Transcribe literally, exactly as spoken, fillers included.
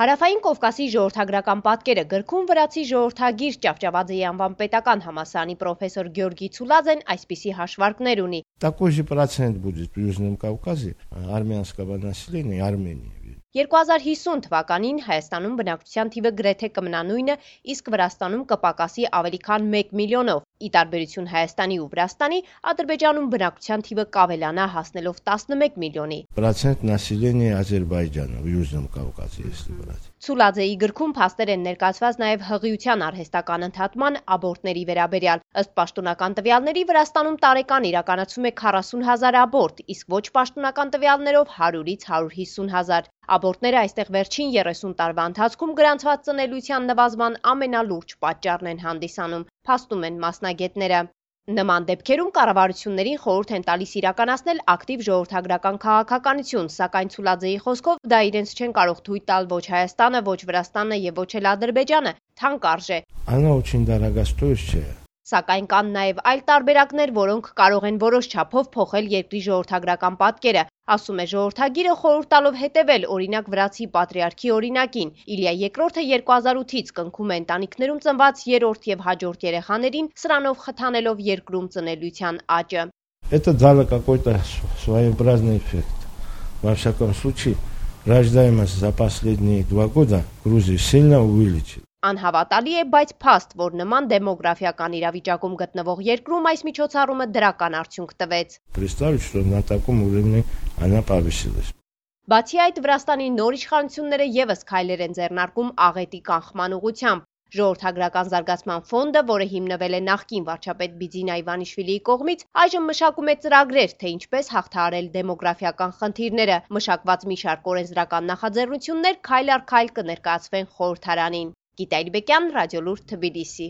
Հարավային Կովկասի ժողովրդագրական պատկերը գրքում վրացի ժողովրդագիր Ճավճավաձեի անվան պետական համալսարանի պրոֆեսոր Գյորգի Ցուլաձեն այսպիսի հաշվարկներ ունի. Такой же процент будет в Южном Кавказе армянского населения Армении. երկու հազար հիսուն թվականին Հայաստանում բնակչության թիվը գրեթե կմնա նույնը, իսկ Վրաստանում կպակասի ավելի քան մեկ միլիոնով։ Ի տարբերություն Հայաստանի ու Վրաստանի, Ադրբեջանում բնակչության թիվը կավելանա հասնելով տասնմեկ միլիոնի։ Процент населения Азербайджана в Южном Кавказе, если брать. Ցուլաձեի գրքում փաստեր են ներկայացված նաև հղիության արհեստական ընդհատման աբորտների վերաբերյալ։ Ըստ պաշտոնական տվյալների Վրաստանում տարեկան իրականացում է քառասուն հազար աբորտ, իսկ ոչ պաշտոնական տվյալներով հարյուրից հարյուր հիսուն հազար։ Աբորտները այստեղ վերջին երեսուն տարվա ընթացքում գրանցված ծնելիության նվազման ամենալուրջ պատճառն են հանդիսանում, փաստում են մասնագետները։ Նման դեպքերում կառավարություններին խորհուրդ են տալիս իրականացնել ակտիվ ժողովրդագրական քաղաքականություն, սակայն Ցուլաձեի խոսքով դա իրենց չեն կարող թույլ տալ ոչ Հայաստանը, ոչ Վրաստանը եւ ոչ էլ Ադրբեջանը, թանկ արժե։ Она очень дорогостоящая. Սակայն կան նաև այլ տարբերակներ, որոնք կարող են որոշ չափով փոխել երկրի ժողովրդագրական պատկերը, ասում է ժողովրդագիրը խորհուրդ տալով հետևել օրինակ վրացի պատրիարքի օրինակին։ Իլիա երկրորդը երկու հազար ութից կնքում է ընտանիքներում ծնված երրորդ եւ հաջորդ երեխաներին, սրանով խթանելով երկրում ծնելիության աճը։ Это дало какой-то своеобразный эффект. Во всяком случае, рождаемость за последние два года в Грузии сильно увеличилась. Անհավատալի է, բայց փաստ, որ նման դեմոգրաֆիական իրավիճակում գտնվող երկրում այս միջոցառումը դրական արդյունք տվեց։ Представить, что на таком уровне она повысилась. Բացի այդ, Վրաստանի նոր իշխանությունները եւս քայլեր են ձեռնարկում աղետի կանխման ուղղությամբ։ Ժողովրդագրական զարգացման ֆոնդը, որը հիմնվել է նախկին վարչապետ Բիձինա Իվանիշվիլիի կողմից, այժմ մշակում է ծրագրեր, թե ինչպես հաղթահարել դեմոգրաֆիական խնդիրները։ Մշակված մի շարք օրենսդրական նախաձեռնություններ քայլ առ քայլ կներկայացվեն խորհրդարանին։ Գիտա Իրբեկյան, Ռադիոլուր, Թբիլիսի։